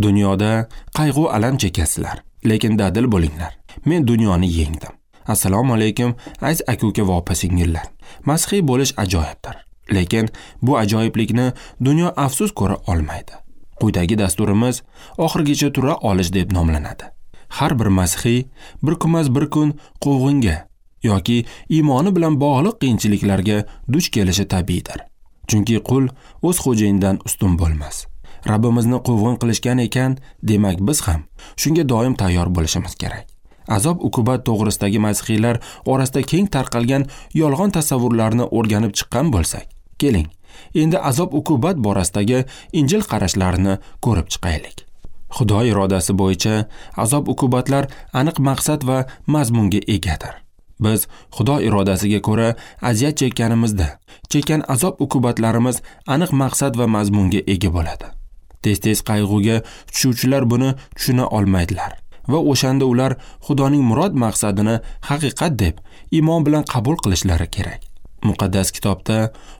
Dunyoda qayg'u alam chekasizlar, lekin dadil bo'linglar. Men dunyoni yengdim. Assalomu alaykum, aziz aka-uka va opa-singillar. Masihiy bo'lish ajoyibdir, lekin bu ajoyiblikni dunyo afsus ko'ra olmaydi. Quyidagi dasturimiz oxirigacha tura olish deb nomlanadi. Har bir masihiy bir kunmas bir kun quvg'inga yoki iymoni bilan bog'liq qiyinchiliklarga duch kelishi tabiiydir. Chunki qul o'z xo'jayinidan ustun bo'lmas. Rabbimizni quvg'in qilishgan ekan, demak biz ham shunga doim tayyor bo'lishimiz kerak. Azob uqubat to'g'risidagi masihiylar orasida keng tarqalgan yolg'on tasavvurlarni o'rganib chiqqan bo'lsak, keling, endi azob uqubat borasidagi Injil qarashlarini ko'rib chiqaylik. Xudo irodasi bo'yicha azob uqubatlar aniq maqsad va mazmunga egadir. Biz Xudo irodasiga ko'ra aziyat chekkanimizda, chekkan azob uqubatlarimiz aniq maqsad va mazmunga ega bo'ladi. Tez-tez qayg'uga tushuvchilar buni tushuna olmaydilar va o'shanda ular Xudoning murod maqsadini haqiqat deb iymon bilan qabul qilishlari kerak. Muqaddas kitobda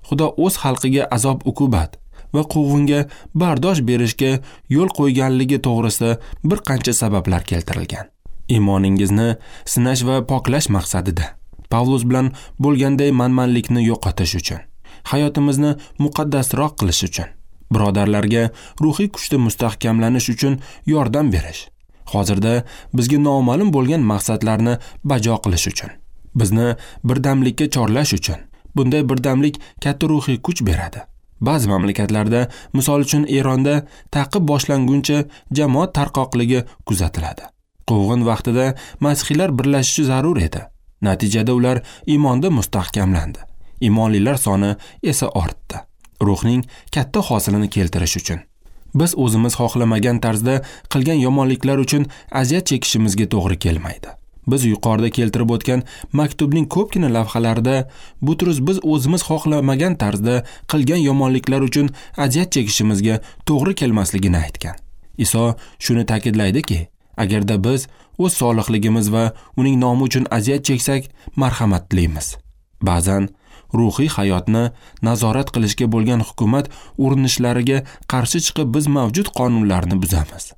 Xudo o'z xalqiga azob uqubat va quvg'inga bardosh berishga yo'l qo'yganligi to'g'risida bir qancha sabablar keltirilgan. Iymoningizni sinash va poklash maqsadida, Pavlus bilan bo'lganday manmanlikni yo'qotish uchun, hayotimizni muqaddasroq qilish uchun, birodarlarga ruhiy kuchda mustahkamlanish uchun yordam berish, hozirda bizga noma'lum bo'lgan maqsadlarni bajo qilish uchun, bizni birdamlikka chorlash uchun. Bunday birdamlik katta ruhiy kuch beradi. Ba'zi mamlakatlarda, misol uchun Eronda ta'qib boshlanguncha jamoat tarqoqligi kuzatiladi. Quvg'in vaqtida masihiylar birlashishi zarur edi. Natijada ular iymonda mustahkamlandi. Iymonlilar soni esa ortdi. Ruhning katta hosilini keltirish uchun biz o'zimiz xohlamagan tarzda qilgan yomonliklar uchun aziyat chekishimizga to'g'ri kelmaydi. Biz yuqorida keltirib o'tgan maktubning ko'pgina lavhalarida Butrus biz o'zimiz xohlamagan tarzda qilgan yomonliklar uchun aziyat chekishimizga to'g'ri kelmasligini aytgan. Iso shuni ta'kidlaydiki, agarda biz o'z solihligimiz va uning nomi uchun aziyat cheksak, marhamat tilaymiz. Ba'zan ruhiy hayotni nazorat qilishga bo'lgan hukumat urinishlariga qarshi chiqib biz mavjud qonunlarni buzamiz.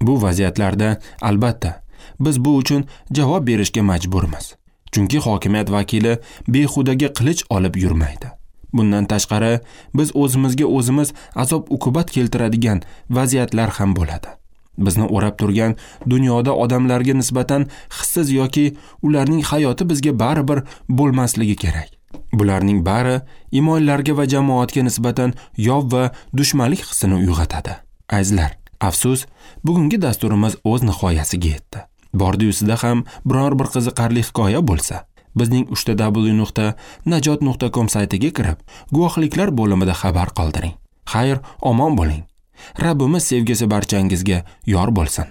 Bu vaziyatlarda albatta biz bu uchun javob berishga majburmiz. Chunki hokimiyat vakili behudaga qilich olib yurmaydi. Bundan tashqari biz o'zimizga o'zimiz azob uqubat keltiradigan vaziyatlar ham bo'ladi. Bizni o'rab turgan dunyoda odamlarga nisbatan hissiz yoki ularning hayoti bizga baribir bo'lmasligi kerak. Bularning bari iymonlarga va jamoatga nisbatan yov va dushmanlik hissini uyg'otadi. Azizlar, afsus, bugungi dasturimiz o'z nihoyasiga yetdi. Bordi-yusida ham biror bir qiziqarli hikoya bo'lsa, bizning www.najot.com saytiga kirib, guvohliklar bo'limida xabar qoldiring. Xayr, omon bo'ling. Rabbimiz sevgisi barchangizga yor bo'lsin.